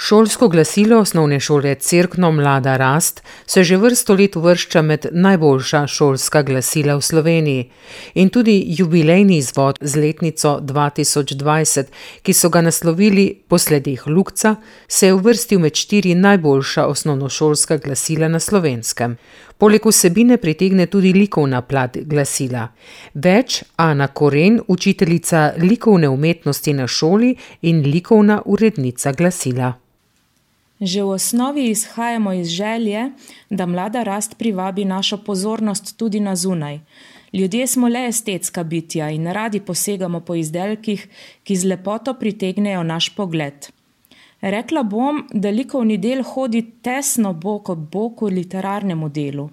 Šolsko glasilo osnovne šole Cerkno Mlada rast se že vrsto let uvršča med najboljša šolska glasila v Sloveniji. In tudi jubilejni izvod z letnico 2020, ki so ga naslovili Po sledeh Lukca, se je uvrstil med 4 najboljša osnovnošolska glasila na Slovenskem. Poleg vsebine pritegne tudi likovna plat glasila. Več Ana Koren, učiteljica likovne umetnosti na šoli in likovna urednica glasila. Že v osnovi izhajamo iz želje, da mlada rast privabi našo pozornost tudi na zunaj. Ljudje smo le estetska bitja in radi posegamo po izdelkih, ki z lepoto pritegnejo naš pogled. Rekla bom, da likovni del hodi tesno bok ob boku literarnemu delu.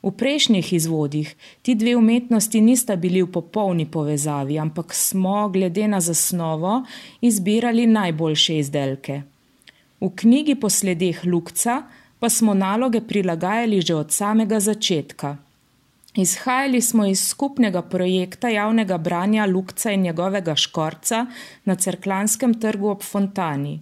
V prejšnjih izvodih ti dve umetnosti nista bili v popolni povezavi, ampak smo, glede na zasnovo, izbirali najboljše izdelke. V knjigi Po sledeh Lukca pa smo naloge prilagajali že od samega začetka. Izhajali smo iz skupnega projekta javnega branja Lukca in njegovega škorca na Cerkljanskem trgu ob Fontani.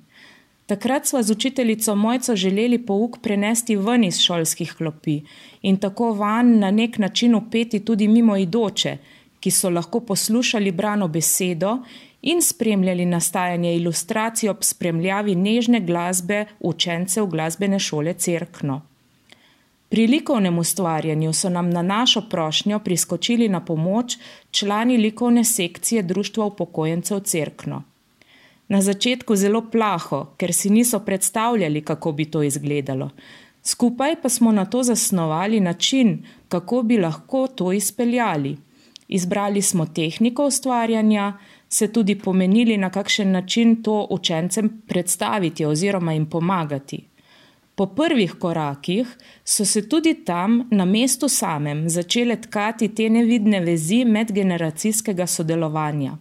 Takrat sva z učiteljico Mojco želeli pouk prenesti ven iz šolskih klopi in tako vanj na nek način vpeti tudi mimoidoče, ki so lahko poslušali brano besedo in spremljali nastajanje ilustracij ob spremljavi nežne glasbe učencev glasbene šole Cerkno. Pri likovnem ustvarjanju so nam na našo prošnjo priskočili na pomoč člani likovne sekcije Društva upokojencev Cerkno. Na začetku zelo plaho, ker si niso predstavljali, kako bi to izgledalo. Skupaj pa smo nato zasnovali način, kako bi lahko to izpeljali. Izbrali smo tehniko ustvarjanja, se tudi pomenili, na kakšen način to učencem predstaviti oziroma jim pomagati. Po prvih korakih so se tudi tam, na mestu samem, začele tkati te nevidne vezi medgeneracijskega sodelovanja.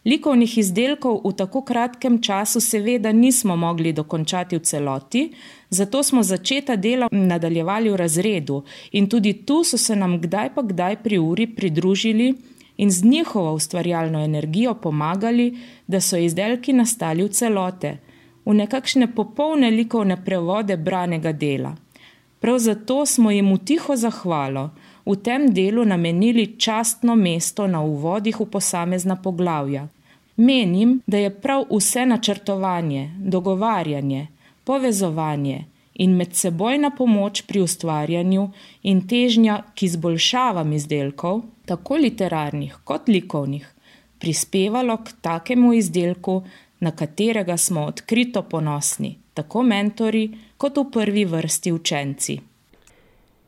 Likovnih izdelkov v tako kratkem času seveda nismo mogli dokončati v celoti, zato smo začeta dela nadaljevali v razredu in tudi tu so se nam kdaj pa kdaj pri uri pridružili in z njihovo ustvarjalno energijo pomagali, da so izdelki nastali v celote, v nekakšne popolne likovne prevode branega dela. Prav zato smo jim v tiho zahvalo v tem delu namenili častno mesto na uvodih v posamezna poglavja. Menim, da je prav vse načrtovanje, dogovarjanje, povezovanje in medsebojna pomoč pri ustvarjanju in težnja k izboljšavam izdelkov, tako literarnih kot likovnih, prispevalo k takemu izdelku, na katerega smo odkrito ponosni, tako mentori kot v prvi vrsti učenci.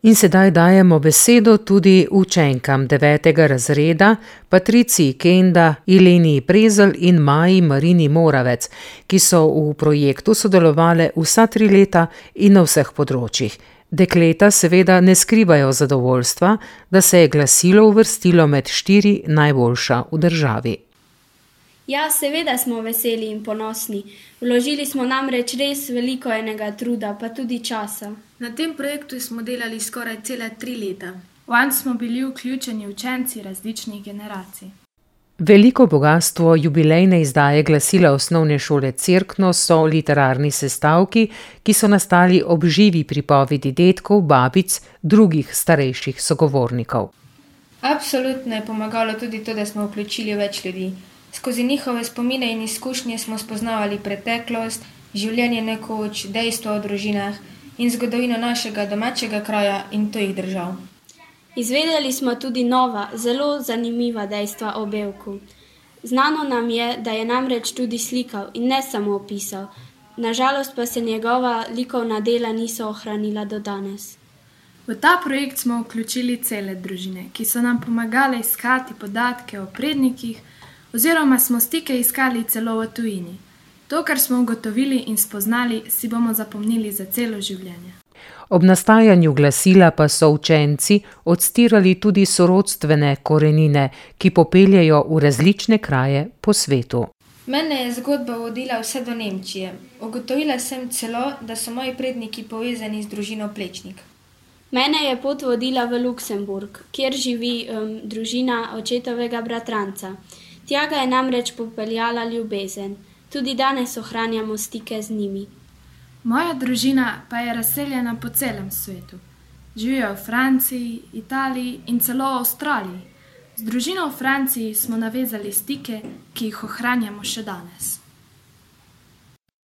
In sedaj dajemo besedo tudi učenkam 9. razreda, Patriciji Kenda, Ileniji Prezelj in Maji Marini Moravec, ki so v projektu sodelovale vsa 3 leta in na vseh področjih. Dekleta seveda ne skrivajo zadovoljstva, da se je glasilo uvrstilo med 4 najboljša v državi. Ja, seveda smo veseli in ponosni. Vložili smo namreč res veliko enega truda, pa tudi časa. Na tem projektu smo delali skoraj cele 3 leta. Vanj smo bili vključeni učenci različnih generacij. Veliko bogastvo jubilejne izdaje glasila osnovne šole Cerkno so literarni sestavki, ki so nastali ob živi pripovedi dedkov, babic, drugih starejših sogovornikov. Absolutno je pomagalo tudi to, da smo vključili več ljudi. Skozi njihove spomine in izkušnje smo spoznavali preteklost, življenje nekoč, dejstva o družinah in zgodovino našega domačega kraja in tujih držav. Izvedeli smo tudi nova, zelo zanimiva dejstva o Bevku. Znano nam je, da je namreč tudi slikal in ne samo opisal. Nažalost pa se njegova likovna dela niso ohranila do danes. V ta projekt smo vključili cele družine, ki so nam pomagale iskati podatke o prednikih, oziroma smo stike iskali celo v tujini. To, kar smo ugotovili in spoznali, si bomo zapomnili za celo življenje. Ob nastajanju glasila pa so učenci odstirali tudi sorodstvene korenine, ki popeljejo v različne kraje po svetu. Mene je zgodba vodila vse do Nemčije. Ugotovila sem celo, da so moji predniki povezani z družino Plečnik. Mene je pot vodila v Luksemburg, kjer živi družina očetovega bratranca. Tja ga je namreč popeljala ljubezen. Tudi danes ohranjamo stike z njimi. Moja družina pa je razseljena po celem svetu. Živijo v Franciji, Italiji in celo v Avstraliji. Z družino v Franciji smo navezali stike, ki jih ohranjamo še danes.